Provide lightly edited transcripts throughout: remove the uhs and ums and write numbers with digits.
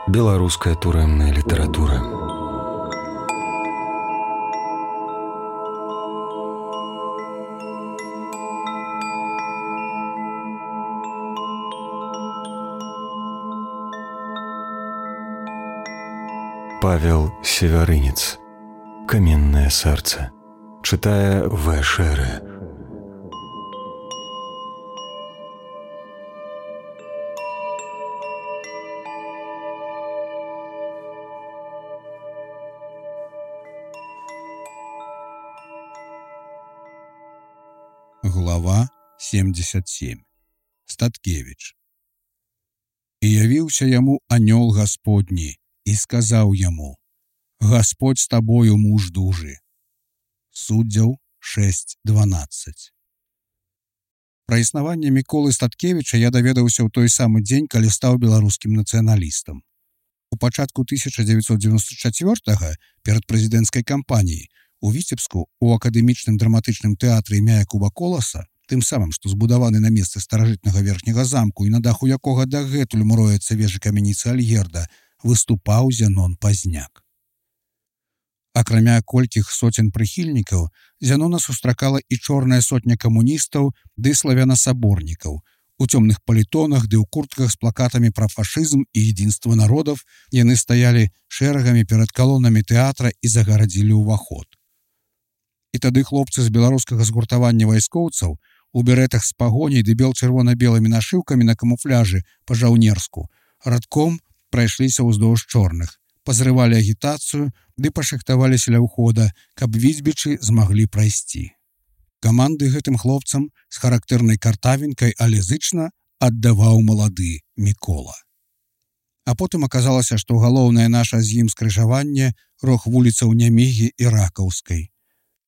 Беларуская турэмная літаратура. Павел Севярынец. «Каменное сердце». Читая В. Шере. Глава 77. Статкевіч. «І явіўся яму анёл Гасподні, і сказаў яму: Гасподь з табою, муж дужы». Суддзяў 6:12. Пра існаванне Міколы Статкевіча я даведаўся ў той самы дзень, калі стаў беларускім нацыяналістам. У пачатку 1994-га, перад прэзідэнцкай кампаніяй, у Віцебску у акадэмічным драматычным тэатры імя Якуба Коласа, тым самым, што збудаваны на месцы старажытнага верхняга замку і на даху якога дагэтуль муроецца вежы камяніцы Альгерда, выступаў Зянон Пазняк. Акрамя колькіх соцень прыхільнікаў, Зянона сустракала і чорная сотня камуністаў ды славянасаборнікаў. У цёмных палітонах ды ў куртках з плакатамі пра фашызм і единства народаў яны стаялі шэрагамі перад калонамі тэатра і загарадзілі ўваход. І тады хлопцы з беларускага згуртавання вайскоўцаў у берэтах з пагоняй ды бел-чырвона-белымі нашыўкамі на камуфляжы па-жаўнерску радком прайшліся ўздоўж чорных, пазрывалі агітацыю ды пашахтаваліся ля ўхода, каб візьбічы змаглі прайсці. Каманды гэтым хлопцам з характэрнай картавенькай, але зычна аддаваў малады Мікола. А потым аказалася, што галоўнае наша з ім скрыжаванне рог вуліцаў Нямігі і Ракаўскай.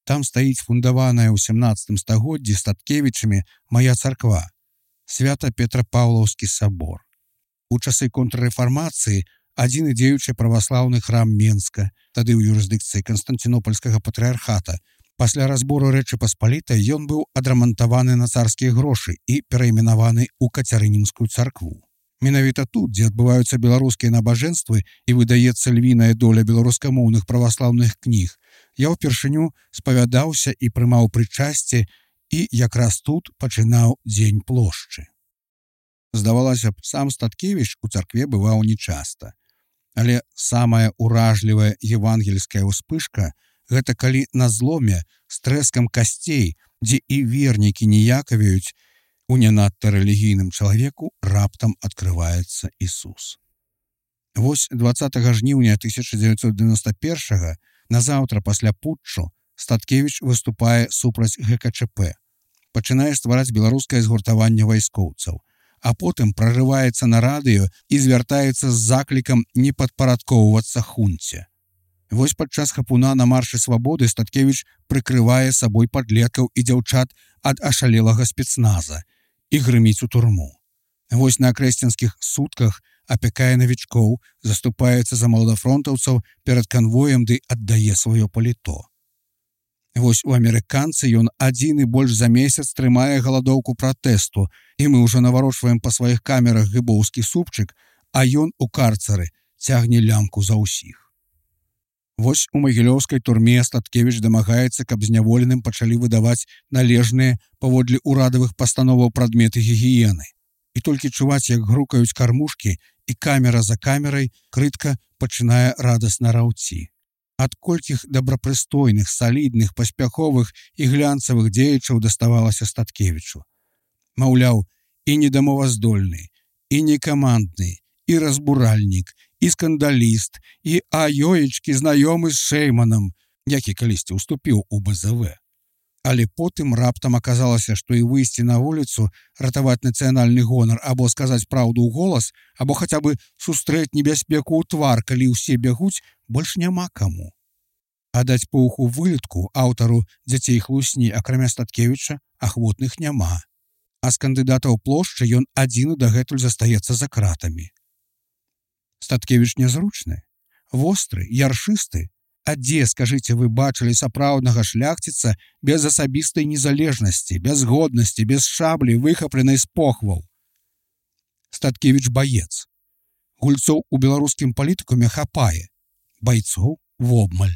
Там стаіць фундаваная ў 17 стагоддзі Статкевічамі мая царква, Свята-Петра-Паўлаўскі сабор. У часы контррэфармацыі адзіны дзеючы праваслаўны храм Менска, тады ў юрысдыкцыі Канстанцінопальскага патрыархата. Пасля разбору Рэчы Паспалітай ён быў адрамантаваны на царскія грошы і перайменаваны ў Кацярынінскую царкву. Менавіта тут, дзе адбываюцца беларускія набажэнствы і выдаецца львіная доля беларускамоўных праваслаўных кніг, я ўпершыню спавядаўся і прымаў прычасце, і якраз тут пачынаў дзень плошчы. Здавалася б, сам Статкевіч у царкве бываў нечаста. Але самая уражлівая евангельская ўспышка — гэта калі на зломе з трэскам касцей, дзе і вернікі ніякавеюць, у не надта рэлігійным чалавеку раптам адкрываецца Ісус. Вось 20 жніўня 1991-га, назаўтра пасля путчу, Статкевіч выступае супраць ГКЧП, пачынае ствараць беларускае згуртаванне вайскоўцаў, а потым прарываецца на радыё і звяртаецца з заклікам не падпарадкоўвацца хунце. Вось падчас хапуна на маршы свабоды Статкевіч прыкрывае сабой падлеткаў і дзяўчат ад ашалелага спецназа і грыміць у турму. Вось на акрэсценскіх сутках апякае навічкоў, заступаецца за маладафронтаўцаў перад канвоем ды аддае сваё паліто. Вось у амерыканцы ён адзіны больш за месяц трымае галадоўку пратэсту, і мы ўжо наварочваем па сваіх камерах гыбоўскі супчык, а ён у карцары цягне лямку за ўсіх. Вось у магілёўскай турме Статкевіч дамагаецца, каб зняволеным пачалі выдаваць належныя паводле ўрадавых пастановаў прадметы гігіены. І толькі чуваць, як грукаюць кармушкі, і камера за камерай крытка пачынае радасна раўці. Ад колькіх добрапрыстойных, салідных, паспяховых і глянцавых дзеячаў даставалася Статкевічу. Маўляў, і недамоваздольны, і некамандны, і разбуральнік, і скандаліст, і аёечкі знаёмы з Шэйманам, які калісьці ўступіў у БЗВ. Але потым раптам аказалася, што і выйсці на вуліцу, ратаваць нацыянальны гонар або сказаць праўду ў голас, або хаця бы сустрэць небяспеку ў твар, калі ўсе бягуць, больш няма каму. А даць поўху вылетку аўтару дзяцей хлусні, акрамя Статкевіча, ахвотных няма. А з кандыдатаў плошчы ён адзіны дагэтуль застаецца за кратамі. Статкевіч нязручны, востры, яршысты. А дзе, скажыце, вы бачылі сапраўднага шляхціца без асабістай незалежнасці, без годнасці, без шаблі, выхапленай з похваў? Статкевіч баец. Гульцоў у беларускім палітыкуме хапае, байцоў вобмаль.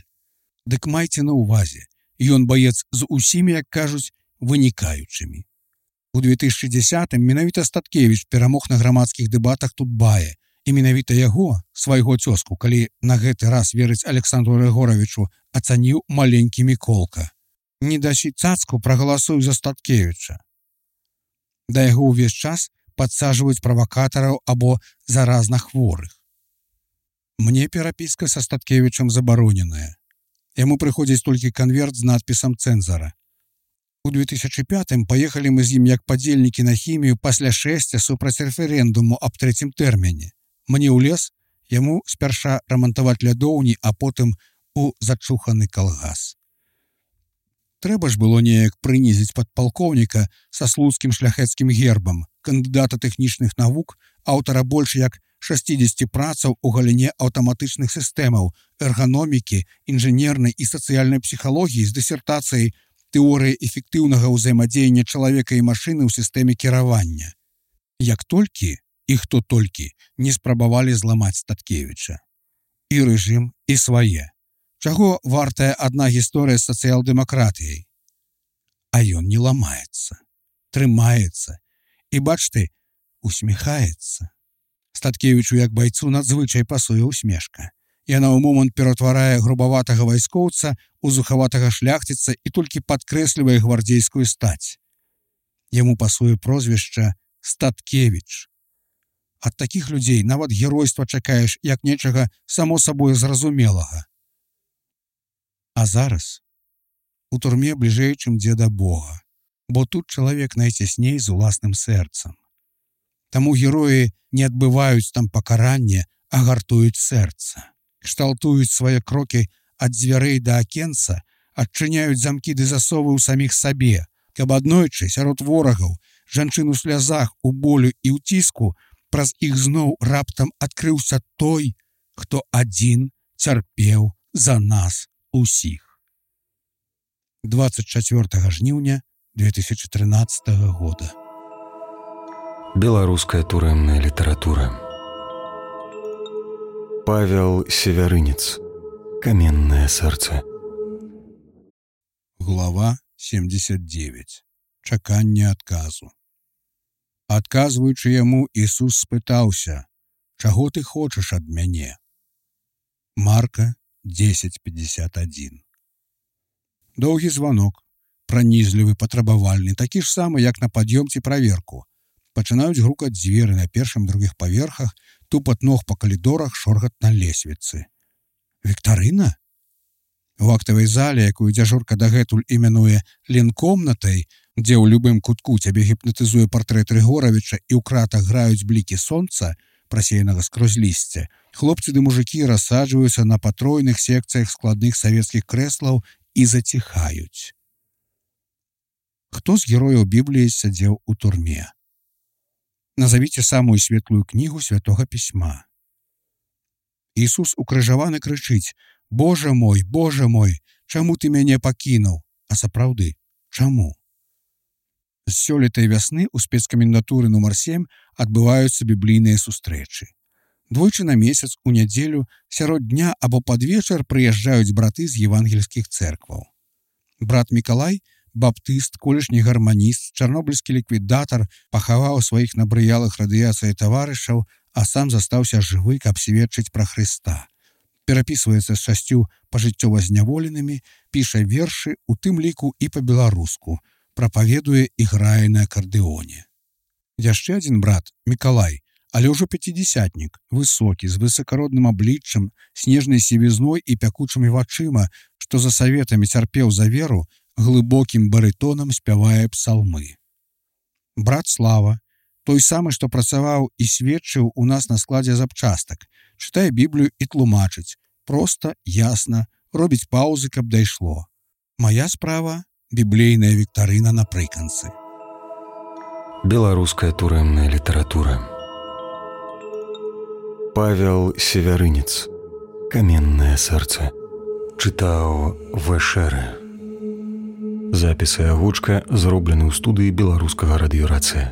Дык майце на ўвазе, ён баец з усімі, як кажуць, вынікаючымі. У 2010-м менавіта Статкевіч перамог на грамадскіх дэбатах Тутбае, і менавіта яго, свайго цёзку, калі на гэты раз верыць Александру Рыгоровичу, ацаніў маленькі Міколка. Не дасі цацку, прагаласуй за Статкевіча. Да яго ўвесь час падсаджваюць правакатараў або заразна хворых. Мне перапіска са Статкевічам забароненая. Яму прыходзіць толькі канверт з надпісам цэнзара. У 2005-м паехалі мы з ім як падзельнікі на хімію пасля шэсця супраць рэферэндуму аб трэцім тэрміне. Мне ў лес, яму спярша рамантаваць лядоўні, а потым у зачуханы калгас. Трэба ж было неяк прынізіць падпалкоўніка са слуцкім шляхецкім гербам, кандыдата тэхнічных навук, аўтара больш як 60 працаў у галіне аўтаматычных сістэмаў, эрганомікі, інжынернай і сацыяльнай псіхалогіі з дысертацыяй «Тэорыя эфектыўнага ўзаемадзеяння чалавека і машыны ў сістэме кіравання». Як толькі і хто толькі не спрабавалі зламаць Статкевіча. І рэжым, і свае. Чаго вартая адна гісторыя з сацыял-дэмакратыяй? А ён не ламаецца, трымаецца і, бачты, усміхаецца. Статкевічу як байцу надзвычай пасуе усмешка. Яна ў момант ператварае грубаватага вайскоўца у зухаватага шляхціца і толькі падкрэслівае гвардзейскую стаць. Яму пасуе прозвішча Статкевіч. Ад такіх людзей нават геройства чакаеш як нечага само сабой зразумелага. А зараз у турме бліжэй, чым дзе да Бога, бо тут чалавек найцясней з уласным сэрцам. Таму героі не адбываюць там пакаранне, а гартуюць сэрца. Кшталтуюць свае крокі ад дзвярэй да акенца, адчыняюць замкі ды засовы ў саміх сабе, каб аднойчы сярод ворагаў, жанчын у слязах, у болю і ў ціску, праз іх зноў раптам адкрыўся той, хто адзін цярпеў за нас усіх. 24 жніўня 2013 года. Беларуская турэмная літаратура. Павел Севярынец. Каменное сэрца. Глава 79. Чаканне адказу. Адказваючы яму, Ісус спытаўся: «Чаго ты хочаш ад мяне?» Марка 10:51. Доўгі званок, пранізлівы, патрабавальны, такі ж самы, як на пад'ём ці праверку. Пачынаюць грукаць дзверы на першым, другіх паверхах, тупат ног па калідорах, шоргат на лесвіцы. Віктарына? У актавай зале, якую дзяжурка дагэтуль іменуе ленкомнатай, дзе ў любым кутку цябе гіпнатызуе партрэт Рыгоровича і ў кратах граюць блікі сонца, прасеянага скрозь лісце, хлопцы ды мужыкі рассаджваюцца на патройных секцыях складных савецкіх крэслаў і заціхаюць. Хто з герояў Бібліі сядзеў у турме? Назавіце самую светлую кнігу Святога Пісьма. Ісус укрыжаваны крычыць: «Боже мой, чаму ты мяне пакінуў?» А сапраўды, чаму? З сёлетай вясны ў спецкамендатуры нумар 7 адбываюцца біблійныя сустрэчы. Двойчы на месяц у нядзелю сярод дня або пад вечар прыязджаюць браты з евангельскіх цэркваў. Брат Мікалай, баптыст, колішні гарманіст, чарнобыльскі ліквідатар, пахаваў сваіх набрыялых радыяцыяй таварышаў, а сам застаўся жывы, каб сведчыць пра Хрыста. Перапісваецца з 6 пажыццёва зняволенымі, піша вершы, у тым ліку і па-беларуску, прапаведуе і грае на акардэоне. Яшчэ адзін брат, Мікалай, але ўжо пяцідзясятнік, высокі, з высакародным абліччам, снежнай сівізной і пякучымі вачыма, што за саветамі цярпеў за веру, глыбокім барытонам спявае псалмы. Брат Слава, той самы, што працаваў і сведчыў у нас на складзе запчастак, чытае Біблію і тлумачыць, проста, ясна, робіць паўзы, каб дайшло. Мая справа – біблейная віктарына напрыканцы. Беларуская турэмная літаратура. Павел Севярынец. Каменное сэрца. Чытаў В.Шэрэ. Запіс і агучка зроблены ў студыі беларускага радыёрацыя.